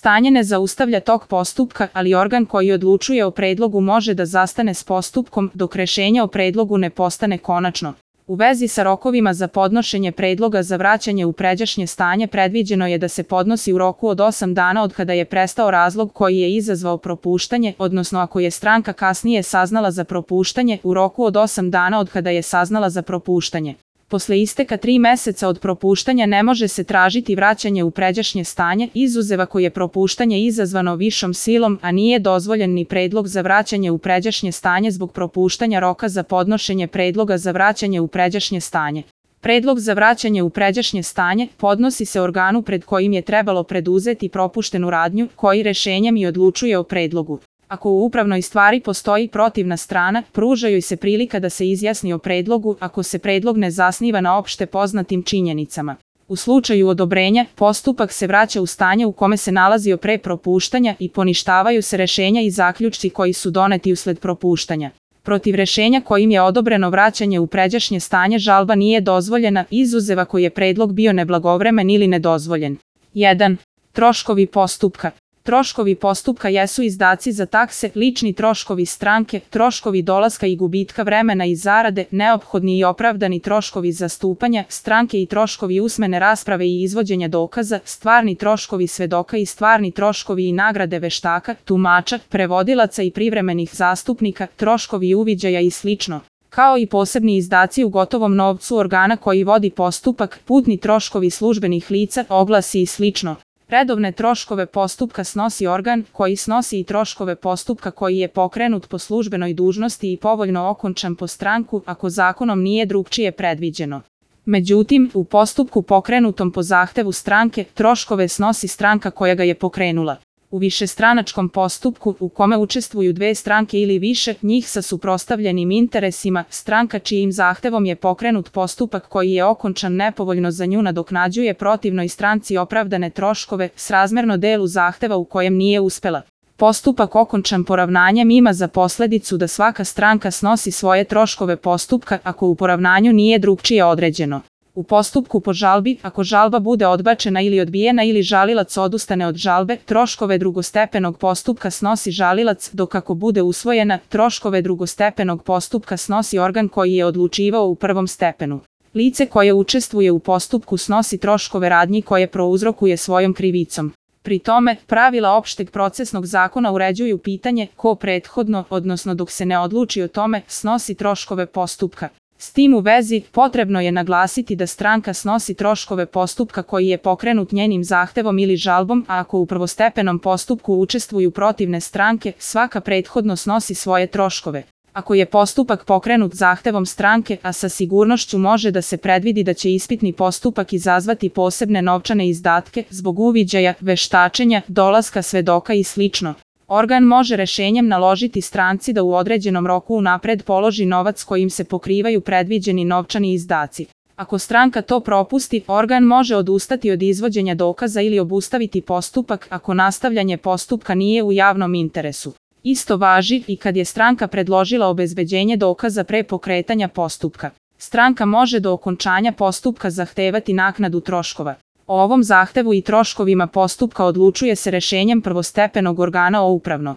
Stanje ne zaustavlja tok postupka, ali organ koji odlučuje o predlogu može da zastane s postupkom dok rešenje o predlogu ne postane konačno. U vezi sa rokovima za podnošenje predloga za vraćanje u pređašnje stanje predviđeno je da se podnosi u roku od 8 dana od kada je prestao razlog koji je izazvao propuštanje, odnosno ako je stranka kasnije saznala za propuštanje, u roku od 8 dana od kada je saznala za propuštanje. Posle isteka 3 meseca od propuštanja ne može se tražiti vraćanje u pređašnje stanje, izuzev ako je propuštanje izazvano višom silom, a nije dozvoljen ni predlog za vraćanje u pređašnje stanje zbog propuštanja roka za podnošenje predloga za vraćanje u pređašnje stanje. Predlog za vraćanje u pređašnje stanje podnosi se organu pred kojim je trebalo preduzeti propuštenu radnju, koji rešenjem i odlučuje o predlogu. Ako u upravnoj stvari postoji protivna strana, pruža joj se prilika da se izjasni o predlogu ako se predlog ne zasniva na opšte poznatim činjenicama. U slučaju odobrenja, postupak se vraća u stanje u kome se nalazio pre propuštanja i poništavaju se rešenja i zaključci koji su doneti usled propuštanja. Protiv rešenja kojim je odobreno vraćanje u pređašnje stanje žalba nije dozvoljena, izuzev ako je predlog bio neblagovremen ili nedozvoljen. 1. Troškovi postupka. Troškovi postupka jesu izdaci za takse, lični troškovi stranke, troškovi dolaska i gubitka vremena i zarade, neophodni i opravdani troškovi zastupanja stranke i troškovi usmene rasprave i izvođenja dokaza, stvarni troškovi svedoka i stvarni troškovi i nagrade veštaka, tumača, prevodilaca i privremenih zastupnika, troškovi uviđaja i sl. Kao i posebni izdaci u gotovom novcu organa koji vodi postupak, putni troškovi službenih lica, oglasi i sl. Redovne troškove postupka snosi organ koji snosi i troškove postupka koji je pokrenut po službenoj dužnosti i povoljno okončan po stranku ako zakonom nije drugčije predviđeno. Međutim, u postupku pokrenutom po zahtevu stranke, troškove snosi stranka koja ga je pokrenula. U višestranačkom postupku, u kome učestvuju dve stranke ili više njih sa suprotstavljenim interesima, stranka čijim zahtevom je pokrenut postupak koji je okončan nepovoljno za nju nadoknađuje protivnoj stranci opravdane troškove srazmerno delu zahteva u kojem nije uspela. Postupak okončan poravnanjem ima za posledicu da svaka stranka snosi svoje troškove postupka ako u poravnanju nije drugčije određeno. U postupku po žalbi, ako žalba bude odbačena ili odbijena ili žalilac odustane od žalbe, troškove drugostepenog postupka snosi žalilac, dok ako bude usvojena, troškove drugostepenog postupka snosi organ koji je odlučivao u prvom stepenu. Lice koje učestvuje u postupku snosi troškove radnji koje prouzrokuje svojom krivicom. Pri tome, pravila opšteg procesnog zakona uređuju pitanje ko prethodno, odnosno dok se ne odluči o tome, snosi troškove postupka. S tim u vezi, potrebno je naglasiti da stranka snosi troškove postupka koji je pokrenut njenim zahtevom ili žalbom, a ako u prvostepenom postupku učestvuju protivne stranke, svaka prethodno snosi svoje troškove. Ako je postupak pokrenut zahtevom stranke, a sa sigurnošću može da se predvidi da će ispitni postupak izazvati posebne novčane izdatke zbog uviđaja, veštačenja, dolaska svedoka i sl. Organ može rešenjem naložiti stranci da u određenom roku unapred položi novac kojim se pokrivaju predviđeni novčani izdaci. Ako stranka to propusti, organ može odustati od izvođenja dokaza ili obustaviti postupak ako nastavljanje postupka nije u javnom interesu. Isto važi i kad je stranka predložila obezbeđenje dokaza pre pokretanja postupka. Stranka može do okončanja postupka zahtevati naknadu troškova. O ovom zahtevu i troškovima postupka odlučuje se rešenjem prvostepenog organa upravno.